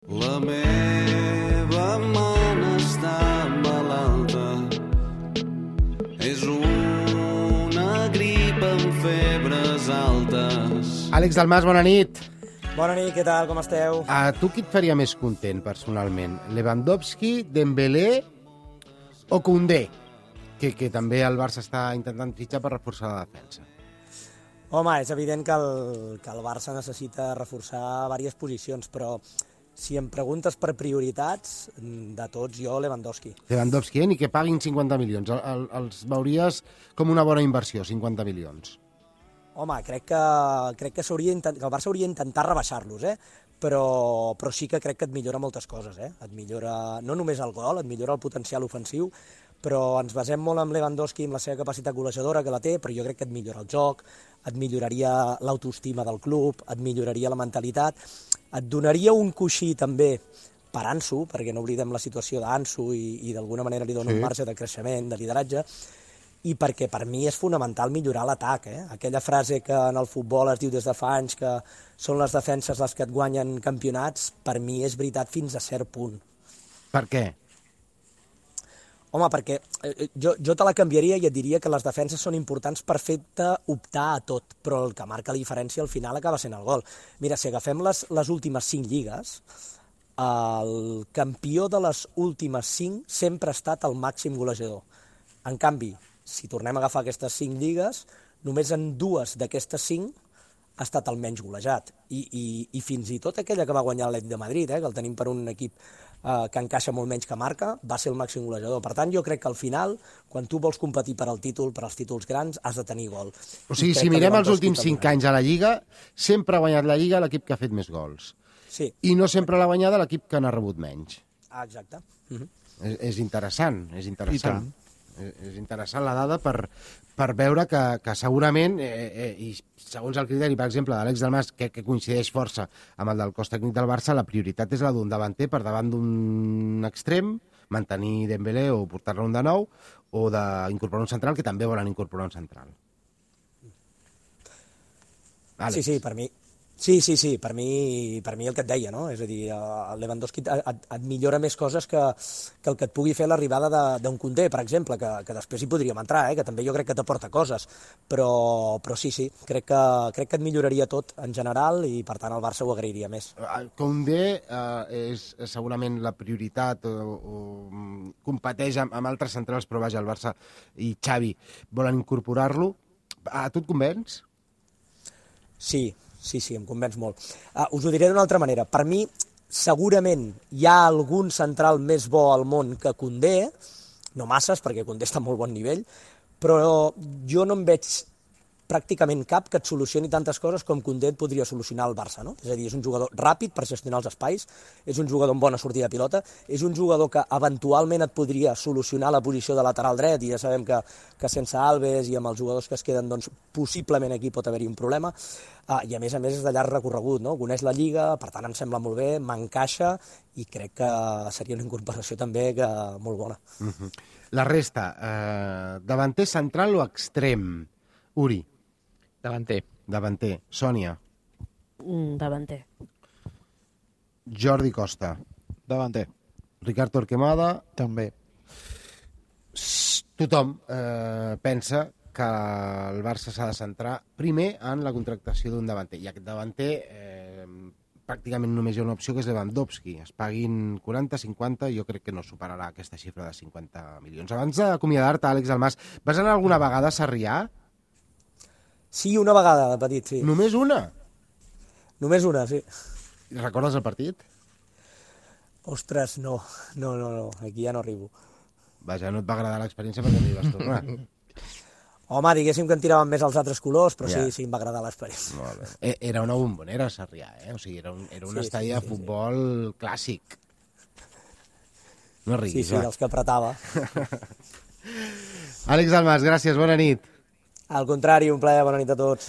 La meva mana està malalta, és una grip amb febres altes. Àlex Dalmas, bona nit. Bona nit, què tal, com esteu? A tu qui et faria més content, personalment? Lewandowski, Dembélé o Koundé? Que també el Barça està intentant fitxar per reforçar la defensa. Home, és evident que el Barça necessita reforçar diverses posicions, però si em preguntes per prioritats, de tots, jo, Lewandowski. Lewandowski, ni que paguin 50 milions. Els veuries com una bona inversió, 50 milions. Home, crec que el Barça hauria d'intentar rebaixar-los, però sí que crec que et millora moltes coses. Et millora no només el gol, et millora el potencial ofensiu, però ens basem molt en Lewandowski, amb la seva capacitat golejadora, que la té, però jo crec que et millora el joc, et milloraria l'autoestima del club, et milloraria la mentalitat, et donaria un coixí també per Ansu, perquè no oblidem la situació d'Ansu i d'alguna manera li dona un marge de creixement, de lideratge, i perquè per mi és fonamental millorar l'atac. Aquella frase que en el futbol es diu des de fa anys que són les defenses les que et guanyen campionats, per mi és veritat fins a cert punt. Per què? Home, perquè jo te la canviaria i et diria que les defenses són importants per fer-te optar a tot, però el que marca la diferència al final acaba sent el gol. Mira, si agafem les últimes 5 lligues, el campió de les últimes 5 sempre ha estat el màxim golejador. En canvi, si tornem a agafar aquestes 5 lligues, només en 2 d'aquestes 5 ha estat el menys golejat. I fins i tot aquella que va guanyar l'Atlètic de Madrid, que el tenim per un equip que encaixa molt menys que marca, va ser el màxim golejador. Per tant, jo crec que al final, quan tu vols competir per al títol, per als títols grans, has de tenir gol. O sigui, si mirem els últims 5 anys a la Lliga, sempre ha guanyat la Lliga l'equip que ha fet més gols. Sí. I no sempre l'ha guanyada l'equip que n'ha rebut menys. Ah, exacte. És interessant, és interessant. És interessant la dada per veure que segurament, i segons el criteri, per exemple, d'Àlex Dalmas, que coincideix força amb el del cos tècnic del Barça, la prioritat és la d'un davanter per davant d'un extrem, mantenir Dembélé o portar-lo un de nou, o d'incorporar un central, que també volen incorporar un central. Àlex. Sí, per mi. Sí, per mi el que et deia, no? És a dir, el Lewandowski et millora més coses que el que et pugui fer l'arribada d'un Koundé, per exemple, que després hi podríem entrar, que també jo crec que t'aporta coses, però sí, crec que et milloraria tot en general i per tant el Barça ho agrairia més. Koundé és segurament la prioritat o competeix amb altres centrals, però vaja, el Barça i Xavi volen incorporar-lo. A tu et convenç? Sí, em convenç molt. Us ho diré d'una altra manera. Per mi, segurament hi ha algun central més bo al món que Koundé, no masses, perquè Koundé està a molt bon nivell, però jo no en veig pràcticament cap que et solucioni tantes coses com Koundé et podria solucionar el Barça, no? És a dir, és un jugador ràpid per gestionar els espais, és un jugador amb bona sortida de pilota, és un jugador que eventualment et podria solucionar la posició de lateral dret, i ja sabem que sense Alves i amb els jugadors que es queden, doncs, possiblement aquí pot haver-hi un problema, i a més és de llarg recorregut, no? Coneix la Lliga, per tant em sembla molt bé, m'encaixa, i crec que seria una incorporació també molt bona. La resta, davanter central o extrem? Uri? Davanter. Sònia? Davanter. Jordi Costa? Davanter. Ricard Torquemada? També. Tothom pensa que el Barça s'ha de centrar primer en la contractació d'un davanter. I aquest davanter pràcticament només hi ha una opció, que és Lewandowski. Es paguin 40, 50, jo crec que no superarà aquesta xifra de 50 milions. Abans d'acomiadar-te, Àlex Dalmas, vas anar alguna vegada a Sarrià? Sí, una vegada, de petit, sí. Només una? Només una, sí. Recordes el partit? Ostres, no, aquí ja no arribo. Vaja, no et va agradar l'experiència perquè no hi vas tornar. Home, diguéssim que em tiraven més els altres colors, però sí, em va agradar l'experiència. Molt bé. Era una bombonera, Sarrià, O sigui, era un estadi de futbol clàssic. No riguis, Sí, dels que apretava. Àlex Dalmas, gràcies, bona nit. Al contrari, un plaer, bona nit a tots.